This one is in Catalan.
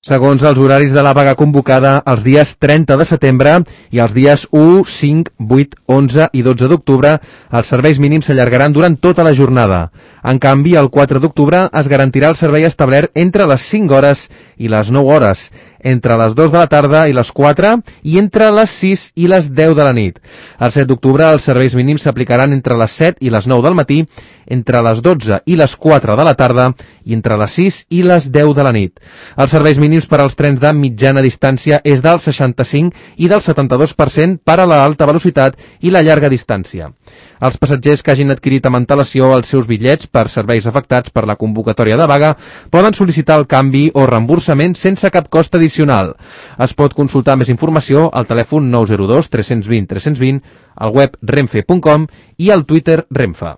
Segons els horaris de la vaga convocada els dies 30 de setembre i els dies 1, 5, 8, 11 i 12 d'octubre, els serveis mínims s'allargaran durant tota la jornada. En canvi, el 4 d'octubre es garantirà el servei establert entre les 5 hores i les 9 hores, entre les 2 de la tarda i les 4 i entre les 6 i les 10 de la nit. El 7 d'octubre els serveis mínims s'aplicaran entre les 7 i les 9 del matí, entre les 12 i les 4 de la tarda i entre les 6 i les 10 de la nit. Els serveis mínims per als trens de mitjana distància és del 65 i del 72% per a l'alta velocitat i la llarga distància. Els passatgers que hagin adquirit amb antelació els seus bitllets per serveis afectats per la convocatòria de vaga poden sol·licitar el canvi o reemborsament sense cap cost addicional. Es pot consultar més informació al telèfon 902 320 320, al web renfe.com i al Twitter Renfe.